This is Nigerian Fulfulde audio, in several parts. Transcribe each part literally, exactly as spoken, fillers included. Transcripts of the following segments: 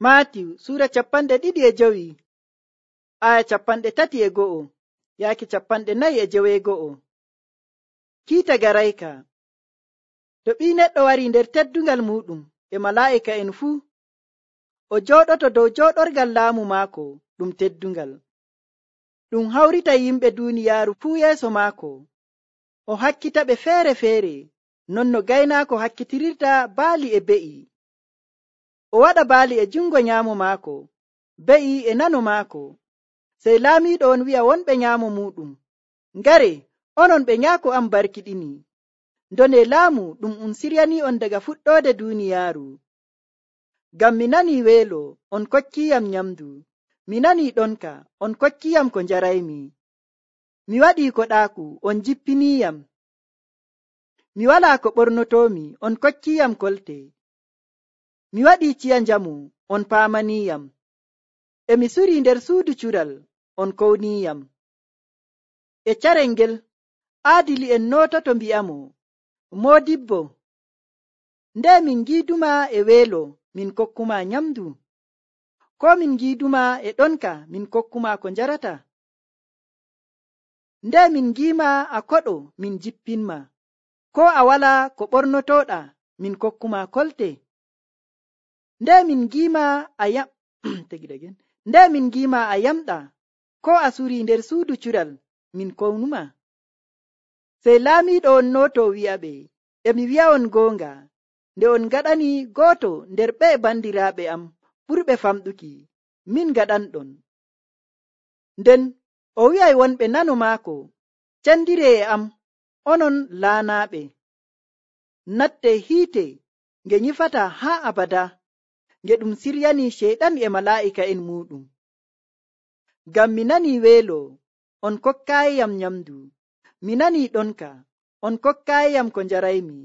Maatiw Suura capanɗe ɗiɗi e jowi aya capanɗe tati e go'o yaaki capanɗe nayi e joweego'o. Kiita garayka. To ɓii neɗɗo wari nder teddungal muɗum e malaa'ika'en fuu, o jooɗoto dow jooɗorgal laamu maako ɗum teddungal. Ɗum hawrita yimɓe duuniyaaru fuu yeeso maako. O hakkita ɓe feere-feere non no gaynaako hakkitirirta baali e be'i. O waɗa baali e jungo nyaamo maako, be'i e nano maako. Sey laamiiɗo on wi'a wonɓe nyaamo muɗum, ngare onon ɓe nyaako am barkiɗini. Ndone laamu ɗum um siryanii on daga fuɗɗoode duuniyaaru. Ngam mi nanii weelo, on kokkiiyam nyamdu. Mi nanii ɗonka, on kokkiiyam ko njaraymi. Mi waɗii koɗaaku, on jippiniiyam. Mi walaa ko ɓornotoomi, on kokkiiyam kolte. Mi waɗii ciya njamu, on paamaniiyam. E mi surii nder suudu cural, on kowniiyam. E carel ngel, aadili'en noototo mbi'amo, Moodibbo, nde min ngiiduma e weelo, min kokkuma nyamdu, ko min ngiiduma e ɗonka, min kokkuma ko njarata. Nde min ngiima a koɗo, min jippinma, ko a walaa ko ɓornotooɗa, min kokkuma kolte. Nde min ngiima a yam nde min ngiima a yamɗa, ko a surii nder suudu cural, min kownuma. Sey laamiiɗo on nooto wi'aɓe, e mi wi'a'on goonga, nde on ngaɗani gooto nder ɓe bandiraaɓe am ɓurɓe famɗuki, min ngaɗanɗon. Nden o wi'ay wonɓe nano maako, cendiree e am, onon laanaaɓe. Natte hiite nge nyifata haa abada, nge ɗum siryanii ceyɗan e malaa'ika'en muɗum. Ngam mi nanii weelo, on kokkaayiyam nyamdu. Mi nanii ɗonka, on kokkaayiyam ko njaraymi.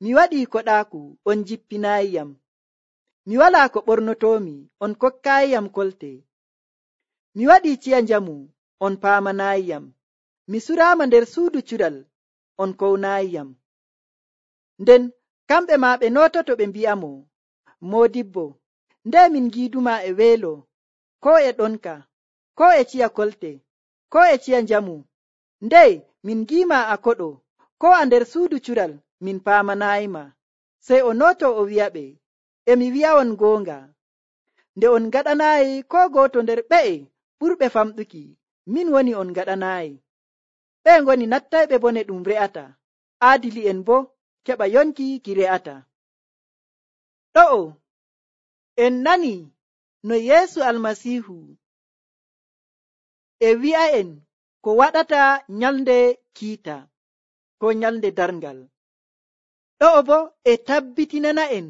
Mi waɗii koɗaaku, on jippinaayiyam. Mi walaa ko ɓornotoomi, on kokkaayiyam kolte. Mi waɗii ciya njamu, on paamanaayiyam. Mi suraama nder suudu cural, on kownaayiyam. Nden kamɓe maa ɓe noototo ɓe mbi'amo, Moodibbo, nde min ngiiduma e weelo, ko e ɗonka, ko e ciya kolte, ko e ciya njamu, ndey min ngiima a koɗo, ko a nder suudu cural, min paamanaayima. Sey o nooto o wi'aɓe, e mi wi'a'on goonga, nde on ngaɗanaayi ko gooto nder ɓe'e ɓurɓe famɗuki, min woni on ngaɗanaayi. Ɓe ngoni nattayɓe bone ɗum re'ata, aadili'en boo keɓa yonki ki re'ata. Ɗo'o en nani no Yeesu Almasiihu e wi'a'en ko waɗata nyalnde kiita ko nyalnde darngal. Ɗo'o bo e tabbitinana'en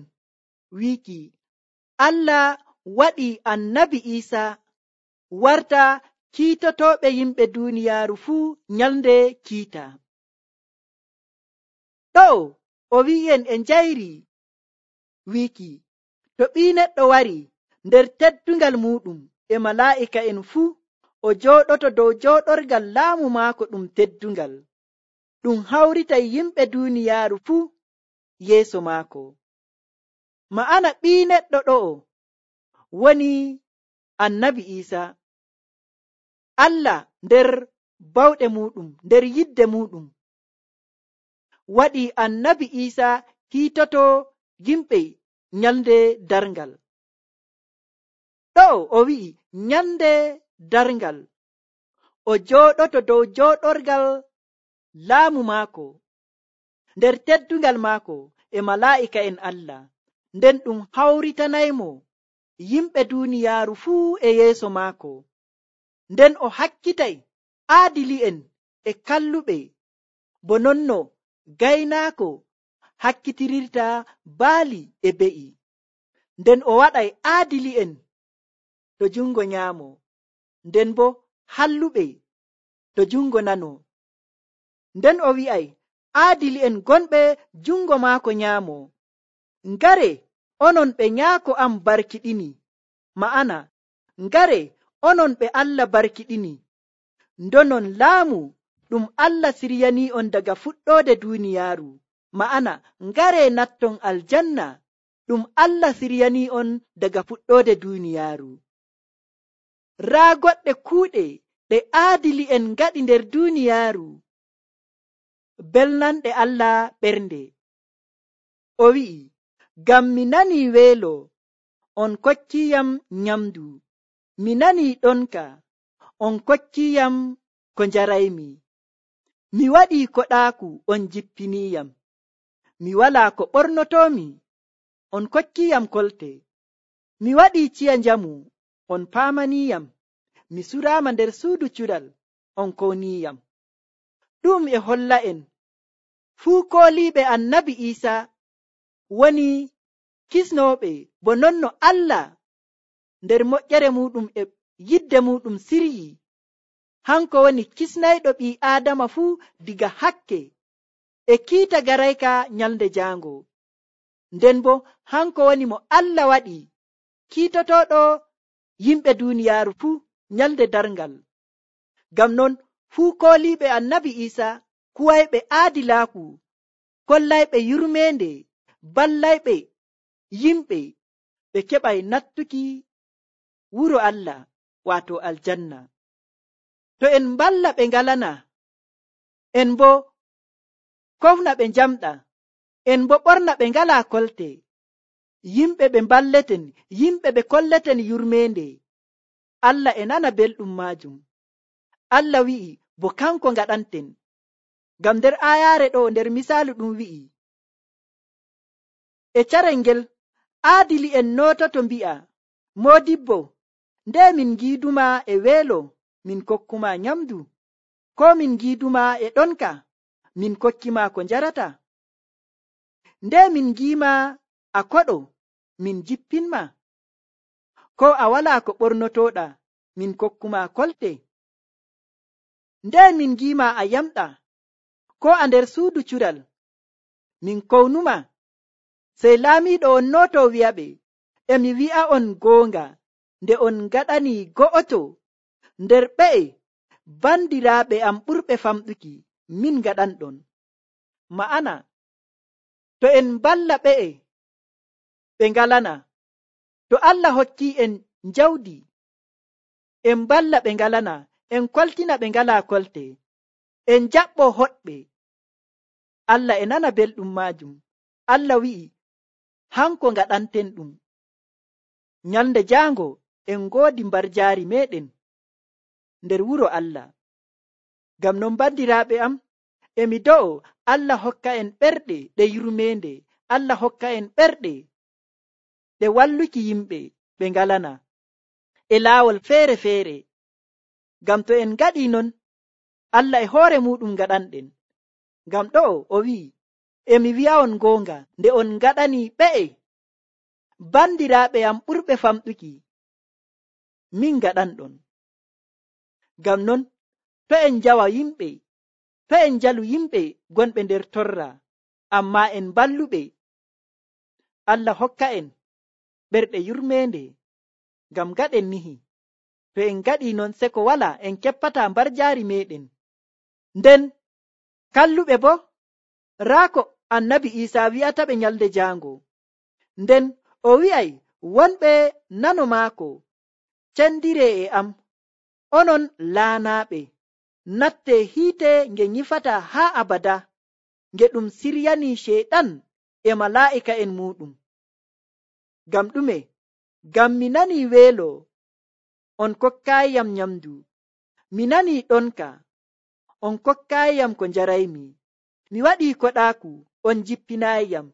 wiiki Allah waɗi annabi Iisa warta kiitotooɓe yimɓe duuniyaaru fuu nyalnde kiita. Ɗo'o o wi'en e njayri wiiki to ɓii neɗɗo wari nder teddungal muɗum e malaa'ika'en fuu, o jooɗoto dow jooɗorgal laamu maako ɗum teddungal, ɗum hawritay yimɓe duuniyaaru fuu yeeso maako. Ma'ana ɓii neɗɗo ɗo'o woni annabi Iisa. Allah nder bawɗe muɗum, nder yidde muɗum, waɗi annabi Iisa kiitoto yimɓe nyalnde darngal. Ɗo'o o wi'i nyalnde darngal, o jooɗoto dow jooɗorgal laamu maako, nder teddungal maako e malaa'ika'en Allah, nden ɗum hawritanaymo yimɓe duuniyaaru fuu e yeeso maako. Nden o hakkitay aadili'en e kalluɓe, bo nonno gaynaako hakkitirirta baali e be'i. Nden o waɗay aadili'en to jungo nyaamo, nden bo halluɓe to jungo nano. Nden o wi'ay aadili'en gonɓe jungo maako nyaamo, ngare onon ɓe nyaako am barkiɗini. Ma'ana ngare onon ɓe Allah barkiɗini, ndonon laamu ɗum Allah siryanii on daga fuɗɗoode duuniyaaru. Ma'ana ngare natton aljanna ɗum Allah siryani on daga fuɗɗode duniyaaru. Raa goɗɗe kuuɗe ɗe aadili'en ngaɗi nder duniyaaru belnanɗe Allah ɓernde. O wi'i, ngam mi nanii weelo, on kokkiyam nyamdu, mi nanii ɗonka, on kokkiyam ko njaraymi, mi waɗii koɗaaku, on jippiniyam, mi walaa ko ɓornotoomi, on kokkiyam kolte, mi waɗii ciya njamu, on paamaniyam, mi suraama nder suudu cuɗal, on kowniyam. Ɗum e holla en fuu kooliiɓe annabi Iisa woni kisnooɓe bo non no Allah nder moƴƴere muɗum e yidde muɗum siryi. Hanko woni kisnayɗo ɓii Aadama fuu diga hakke e kiita garayka nyalnde jaango. Nden bo hanko woni mo Allah waɗi kiitotoɗo yimɓe duniyaaru fuu nyalnde darngal. Ngam non fuu kooliiɓe annabi Iisa kuwayɓe aadilaaku, kollayɓe yurmeende, ballayɓe yimɓe ɓe keɓay nattuki wuro Allah waato aljanna. To en mballa ɓe ngalana, en bo kofna ɓe njamɗa, en bo ɓorna ɓe ngalaa kolte, yimɓe ɓe mballeten, yimɓe ɓe kolleten yurmeende, Allah e nana belɗum maajum. Allah wi'i bo kanko ngaɗanten. Ngam nder aayaare ɗo nder misaalu ɗum wi'i, e carel ngel aadili'en noototo mbi'a, moodibbo, nde min ngiiduma e weelo, min kokkuma nyamdu, ko min ngiiduma e ɗonka, min kokkima ko njarata. Nde min ngiima a koɗo, min jippinma, ko a walaa ko ɓornotoɗa, min kokkuma kolte. Nde min ngiima a yamɗa, ko a nder suudu cural, min kownuma. Sey laamiiɗo on nooto wi'aɓe, e mi wi'a on goonga, nde on ngaɗani go'oto nder ɓe'e bandiraaɓe am ɓurɓe famɗuki, min ngaɗanɗon. Ma'ana, to en mballa ɓe'e ɓe ngalana, to Allah hokki en njawdi, en mballa ɓe ngalana, en koltina ɓe ngalaa kolte, en jaɓɓo hoɗɓe, Allah e nana belɗum maajum. Allah wi'i hanko ngaɗanten ɗum. Nyalnde jaango en ngoodi mbarjaari meɗen nder wuro Allah. Ngam non bandiraaɓe am, e mi do'o Allah hokka en ɓerɗe ɗe yurmeende, Allah hokka en ɓerɗe ɗe walluki yimɓe ɓe ngalana e laawol feere-feere. Ngam to en ngaɗii non, Allah e hoore muɗum ngaɗanɗen. Ngam ɗo'o o wi'i, e mi wi'a on goonga, nde on ngaɗani ɓe'e bandiraaɓe am ɓurɓe famɗuki, min ngaɗanɗon. Ngam non to en njawa yimɓe, to en njalu yimɓe gonɓe nder torra, amma en balluɓe, Allah hokka en ɓerɗe yurmeende. Ngam gaɗen nihi, to en ngaɗii non seko wala en keppata mbarjaari meɗen. Nden kalluɓe bo, raa ko annabi Iisa wi'ata ɓe nyalde jaango. Nden o wi'ay wonɓe nano maako, cendire e am, onon laanaaɓe, natte hiite nge nyifata haa abada, nge ɗum siryani sheyɗan e malaa'ika'en muɗum. Ngam ɗume? Ngam mi nanii weelo, on kokkaayiyam nyamdu, mi nanii ɗonka, on kokkaayiyam ko njaraymi, mi waɗii koɗaaku, on jippinaayiyam,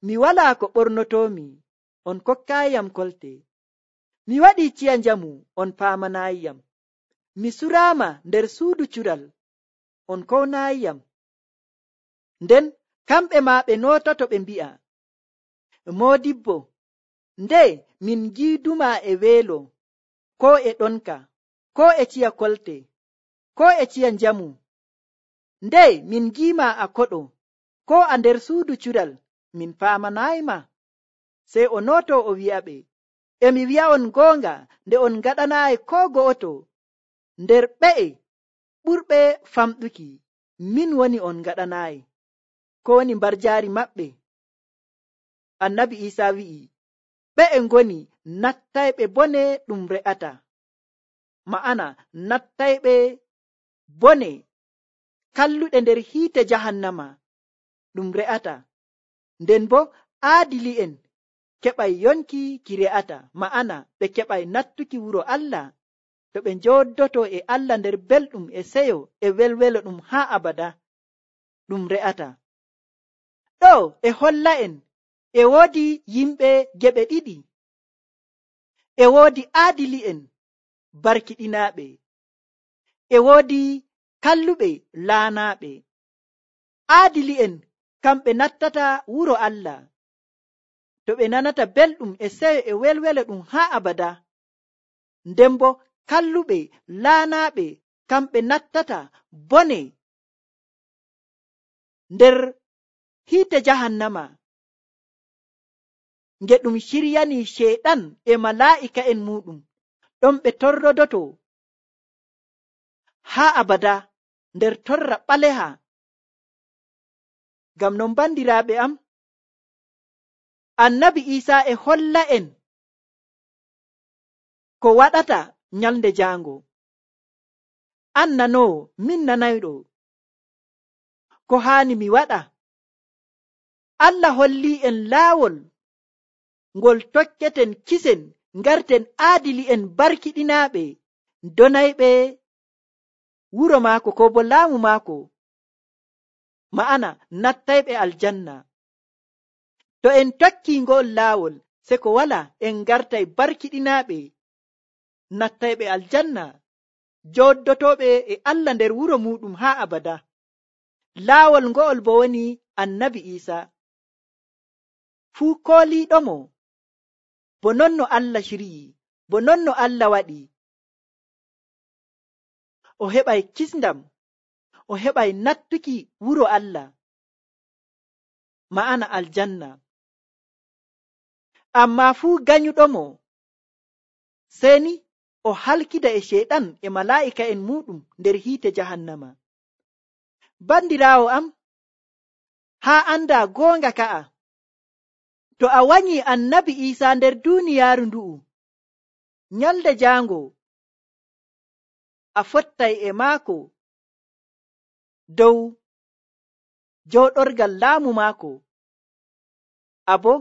mi walaa ko ɓornotoomi, on kokkaayiyam kolte, mi waɗii ciya njamu, on paamanaayiyam, mi suraama nder suudu cural, on kownaayiyam. Nden kamɓe maa ɓe noototo ɓe mbi'a, moodibbo, nde min ngiiduma e weelo, ko e ɗonka, ko e ciya kolte, ko e ciya njamu, nde min ngiima a koɗo, ko a nder suudu cural, min paamanayma. Sey o nooto o wi'aɓe, e mi wi'a on goonga, nde on ngaɗanaayi ko go'oto nder ɓe'e ɓurɓe famɗuki, min woni on ngaɗanaayi, ko woni mbarjaari maɓɓe. annabi Isa wi'i ɓe e ngoni nattayɓe bone ɗum re'ata, ma'ana nattayɓe bone kalluɗe nder hiite jahannama ɗum re'ata, nden bo aadili'en keɓay yonki ki re'ata, ma'ana ɓe keɓay nattuki wuro Allah to ɓe njoddoto e Allah nder belɗum e seyo e welwelo ɗum haa abada ɗum re'ata. ɗo e holla'en e woodi yimɓe geɓe ɗiɗi, e woodi aadili'en barkiɗinaaɓe, e woodi kalluɓe laanaaɓe. Aadili'en kamɓe nattata wuro Allah to ɓe nanata belɗum e seyo e welwelo ɗum haa abada, nden bo kalluɓe laanaaɓe kamɓe nattata bone nder hiite jahannama nge ɗum shiryani sheyɗan e malaa'ika'en muɗum, ɗon ɓe torrodoto haa abada nder torra ɓaleha. Ngam non bandiraaɓe am, annabi Isa e holla en ko waɗata nyalde jaango. An nanowo, min nanayɗo, ko haani mi waɗa? Allah holli en laawol ngol tokketen kisen ngarten aadili'en barkiɗinaaɓe donayɓe wuro maako ko bo laamu maako, ma'ana nattayɓe aljanna. To en tokki ngo'ol laawol se ko wala en ngartay barkiɗinaaɓe nattayɓe aljanna, joddotoɓe e Allah nder wuro muɗum haa abada. Laawol ngo'ol bo woni annabi Isa. Fuu kooliiɗomo bo non no Allah shiryi, bo non no Allah waɗi, o heɓay kisndam, o heɓay nattuki wuro Allah, ma'ana aljanna. Amma fuu ganyuɗomo seni o halkida e sheyɗan e malaa'ika'en muɗum nder hiite jahannama. Bandiraawo am, haa anda goonga ka'a, to a wanyi annabi Isa nder duuniyaaru ndu'u, nyalde jaango a fottay e maako dow jooɗorgal laamu maako, abo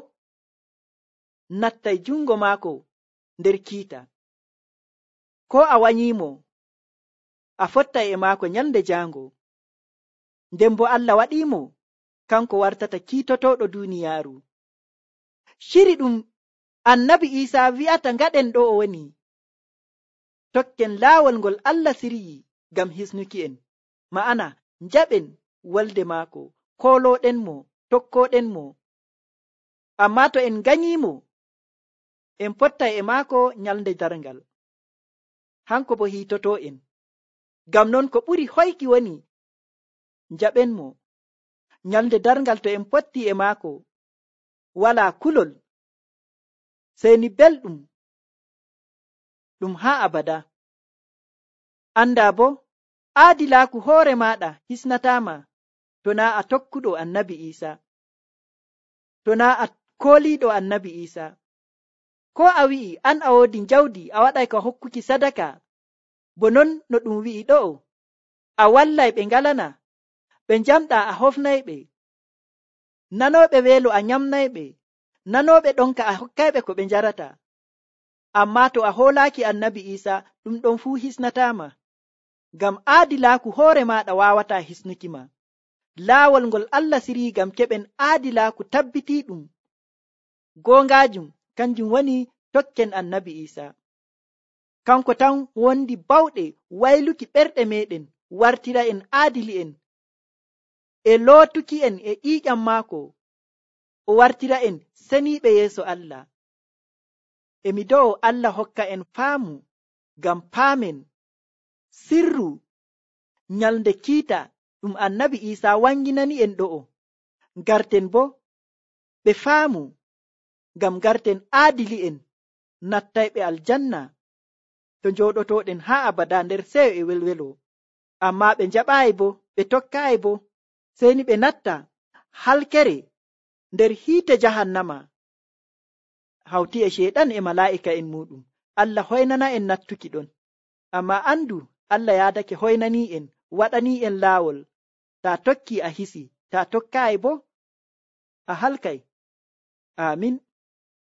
nattay jungo maako nder kiita. Ko a wanyimo a fottay e maako nyalde jaango, nden bo Allah waɗimo kanko wartata kiitotoɗo duuniyaaru. Shiri ɗum annabi Isa wi'ata ngaɗen ɗo o woni tokken laawol ngol Allah siryi ngam hisnuki en, ma'ana njaɓen wolde maako, kooloɗen mo, tokkoɗen mo. Amma to en ganyimo en pottay e maako nyalde darngal, hanko bo hiitoto en. Ngam non ko ɓuri hoyki woni njaɓen mo nyalde darngal. To en potti e maako wala kulol, seni belɗum ɗum haa abada. Anda bo aadilaaku hoore maɗa hisnatama to na a tokkuɗo annabi Isa, to na a kooliɗo annabi Isa. Ko a wi'i an a woodi njawdi a waɗay ka hokkuki sadaka, bo non no ɗum wi'i ɗo, a wallay ɓe ngalana, ɓe njamɗa a hofnayɓe, nanooɓe weelo a nyamnayɓe, nanooɓe ɗonka a hokkayɓe ko ɓe njarata. Amma to a hoolaaki annabi Isa, ɗum ɗon fuu hisnatama, ngam aadilaaku hoore maɗa wawata hisnuki ma. Laawol ngol Allah siri ngam keɓen aadilaaku tabbitiɗum goongajum kanjum woni tokken annabi Isa. Kanko tan wondi bawɗe wayluki ɓerɗe meɗen wartira en aadili'en, e lootuki en e ƴiiƴam maako o wartira en seniiɓe yeeso Allah. Emi do'o Allah hokka en faamu ngam paamen sirru nyalde kiita ɗum annabi Isa wanginani en ɗo'o, garten bo ɓe faamu ngam garten aadili'en nattayɓe aljanna to njooɗotoɗen haa abada nder seyo e welwelo. Amma ɓe njaɓaayi bo, ɓe tokkaayi bo, seni ɓe natta halkere nder hiite jahannama hawti e sheɗan e mala'ika en muɗum. Allah hoynana en nattuki ɗon, amma andu Allah yaadake hoynani en, waɗani en laawol. Ta tokki a hisi, ta tokkaayi bo a halkay. Amin.